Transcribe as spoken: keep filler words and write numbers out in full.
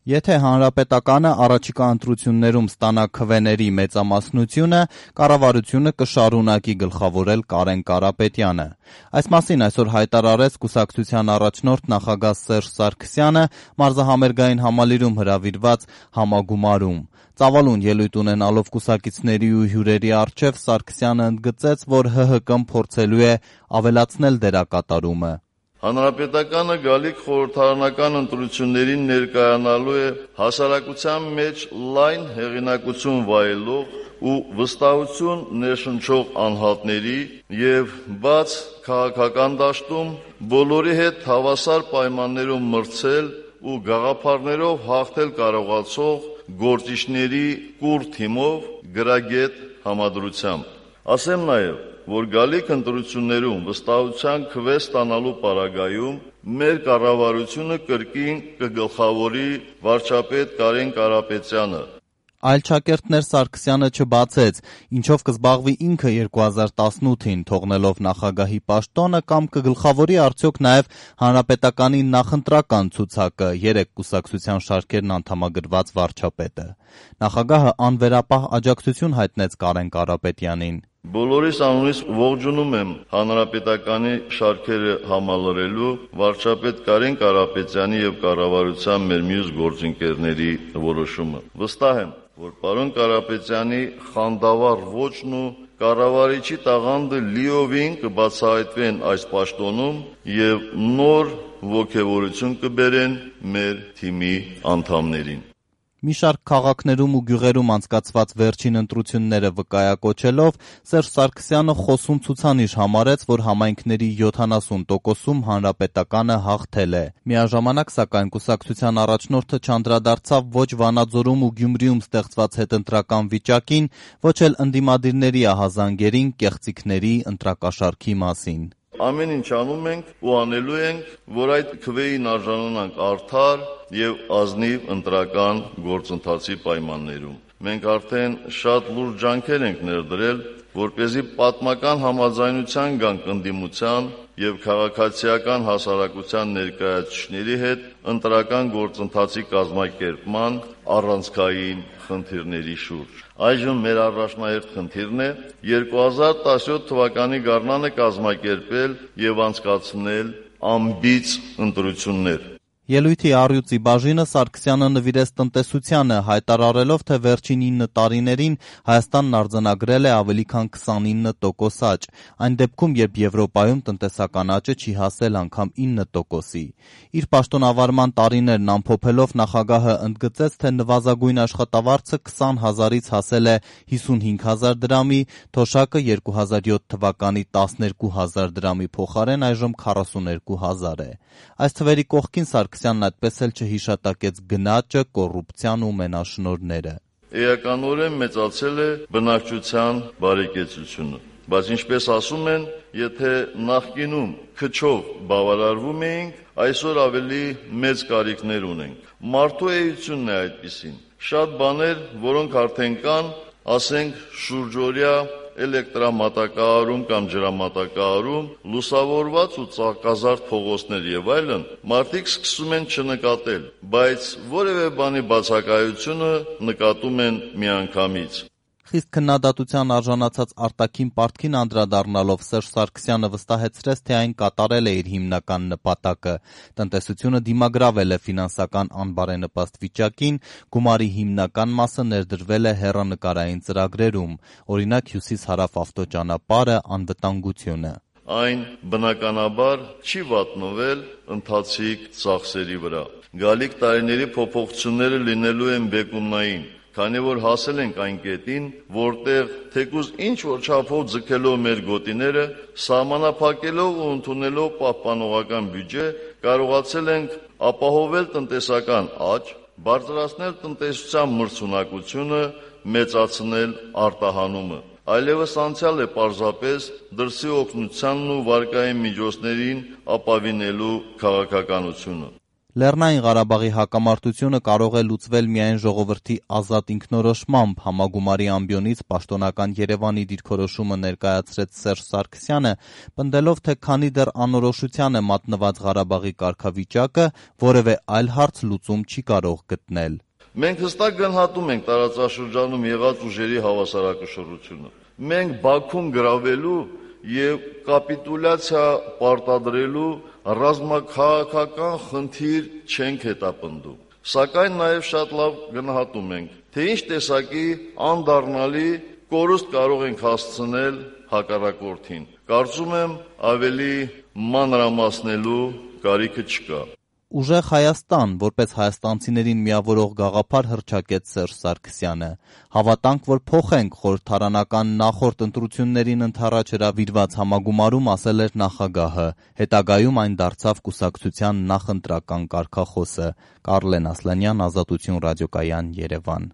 Եթե հանրապետականը առաջիկա ընտրություններում ստանա քվեների մեծամասնությունը, կառավարությունը կշարունակի գլխավորել Կարեն Կարապետյանը։ Այս մասին այսօր հայտարարեց կուսակցության առաջնորդ նախագահ Սերժ Սարգսյանը մարզահամերգային համալիրում հրավիրված համագումարում։ Ծավալուն ելույթ ունենալով կուսակիցների ու հյուրերի առջև Սարգսյանը ընդգծեց, որ Հ Հ Կն փորձելու է ավելացնել դերակատարումը։ Հանրապետականը գալիք խորհրդարանական ընտրություններին ներկայանալու է հասարակության մեջ լայն հեղինակություն վայելող ու վստահություն ներշնչող անհատների և բաց քաղաքական դաշտում բոլորի հետ հավասար պայմաններում մրցել ու գաղափարներով հաղթել կարողացող գործիչների կուռ թիմով գրագետ համադրությամբ։ Ասեմ նաև, որ գալիք ընտրություններում վստահության քվե ստանալու պարագայում մեր կառավարությունը կրկին կգլխավորի վարչապետ Կարեն Կարապետյանը։ Այլ ճակերտներ Սարգսյանը չբացեց, ինչով կզբաղվի ինքը երկու հազար տասնութին, թողնելով նախագահի պաշտոնը, կամ կգլխավորի արդյոք նաև հանրապետականի նախընտրական ցուցակը, երեք կուսակցության շարքերն անդամագրված վարչապետը։ Նախագահը անվերապահ աջակցություն հայտնեց Կարեն Կարապետյանին։ Բոլորիս անունից ողջունում եմ հանրապետականի շարքերը համալրելու վարչապետ Կարեն Կարապետյանի և կառավարության մեր մյուս գործընկերների որոշումը։ Վստահ եմ, որ պարոն Կարապետյանի խանդավառ ոճն ու կառավարիչի տաղանդը լիովին կբացահայտվեն այս պաշտոնում և նոր ոգևորություն կբերեն մեր թիմի անդամներին։ Մի շարք քաղաքներում ու գյուղերում անցկացված վերջին ընտրությունները վկայակոչելով Սերժ Սարգսյանը խոսուն ցուցանիշ համարեց, որ համայնքների յոթանասուն տոկոսում հանրապետականը հաղթել է։ Միաժամանակ, սակայն, կուսակցության առաջնորդը չանդրադարձավ ոչ Վանաձորում ու Գյումրիում ստեղծված հետընտրական վիճակին, ոչ էլ ընդդիմադիրների ահազանգերին, կեղծիքների, ընտրակաշառքի մասին։ Ամեն ինչ անում ենք ու անելու ենք, որ այդ քվեին արժանանանք արդար և ազնիվ ընտրական գործընթացի պայմաններում։ Մենք արդեն շատ լուրջ ջանքեր ենք ներդրել, որպեսզի պատմական համաձայնության գանք ընդդիմության և քաղաքացիական հասարակության ներկայացուցիչների հետ ընտրական գործընթացի կազմակերպման առանցքային խնդիրների շուրջ։ Այժմ մեր առաջնահերթ խնդիրն է երկու հազար տասնյոթ թվականի գարնանը կազմակերպել և անցկացնել անբիծ ընտրություններ։ Ելույթի առյուծի բաժինը Սարգսյանը նվիրեց տնտեսությանը, հայտարարելով, թե վերջին ինը տարիներին Հայաստանն արձանագրել է ավելի քան քսանինը տոկոս աճ, այն դեպքում, երբ Եվրոպայում տնտեսական աճը չի հասել անգամ ինը տոկոսի։ Իր պաշտոնավարման տարիներն ամփոփելով նախագահը ընդգծեց, թե նվազագույն աշխատավարձը քսան հազարից հասել է հիսունհինգ հազար դրամի, թոշակը երկու հազար յոթ թվականի տասներկու հազար դրամի փոխարեն այժմ քառասուներկու հազար է։ Այս թվերի կողքին Սարգսյանն այդպես էլ չհիշատակեց գնաճը, կոռուպցիան ու մենաշնորհները։ Էականորեն մեծացել է բնակչության բարեկեցությունը, բայց ինչպես ասում են, եթե նախկինում քչով բավարարվում էինք, այսօր ավելի մեծ կարիքներ ունենք։ Մարդու էությունն է այդպիսին։ Շատ բաներ, որոնք արդեն կան, ասենք շուրջօրյա էլեկտրամատակարարում կամ ջրամատակարարում, լուսավորված ու ծաղկազարդ փողոցներ եւ այլն, մարդիկ սկսում են չնկատել, բայց որևէ բանի բացակայությունը նկատում են միանգամից։ Խիստ քննադատության արժանացած արտաքին պարտքին անդրադառնալով Սերժ Սարգսյանը վստահեցրեց, թե այն կատարել է իր հիմնական նպատակը։ Տնտեսությունը դիմագրավել է ֆինանսական անբարենպաստ վիճակին, գումարի հիմնական մասը ներդրվել է հեռանկարային ծրագրերում, օրինակ հյուսիս-հարավ ավտոճանապարհը, անվտանգությունը։ Այն բնականաբար չի վատնվել ընթացիկ ծախսերի վրա։ Գալիք տարիների փոփոխությունները լինելու են բեկումնային, քանի որ հասել ենք այն կետին, որտեղ թեկուզ ինչ-որ չափով ձգելով մեր գոտիները, սահմանափակելով ու ընդունելով պահպանողական բյուջե, կարողացել ենք ապահովել տնտեսական աճ, բարձրացնել տնտեսության մրցունակությունը, մեծացնել արտահանումը։ Այլևս անցյալ է պարզապես դրսի օգնությանն ու վարկային միջոցներին ապավինելու քաղաքականությունը։ Լեռնային Ղարաբաղի հակամարտությունը կարող է լուծվել միայն ժողովրդի ազատ ինքնորոշմամբ, համագումարի ամբիոնից պաշտոնական Երևանի դիրքորոշումը ներկայացրեց Սերժ Սարգսյանը, պնդելով, թե քանի դեռ անորոշության է մատնված Ղարաբաղի կարգավիճակը, որևէ այլ հարց լուծում չի կարող գտնել։ Մենք հստակ գնահատում ենք տարածաշրջանում եղած ուժերի հավասարակշռությունը։ Մենք Բաքուն գրավելու եւ կապիտուլյացիա պարտադրելու ռազմաքաղաքական խնդիր չենք հետապնդում։ Սակայն նաեւ շատ լավ գնահատում ենք, թե ինչ տեսակի անդառնալի կորուստ կարող ենք հասցնել հակառակորդին։ Կարծում եմ, ավելի մանրամասնելու կարիքը չկա։ Ուժեղ Հայաստան, որպես հայաստանցիներին միավորող գաղափար հռչակեց Սերժ Սարգսյանը։ Հավատանք, որ փոխենք խորհրդարանական նախորդ ընտրություններին ընդառաջ հրավիրված համագումարում ասել էր նախագահը։ Հետագայում այն դարձավ կուսակցության նախընտրական կարգախոսը։ Կարլեն Ասլանյան, Ազատություն ռադիոկայան, Երևան։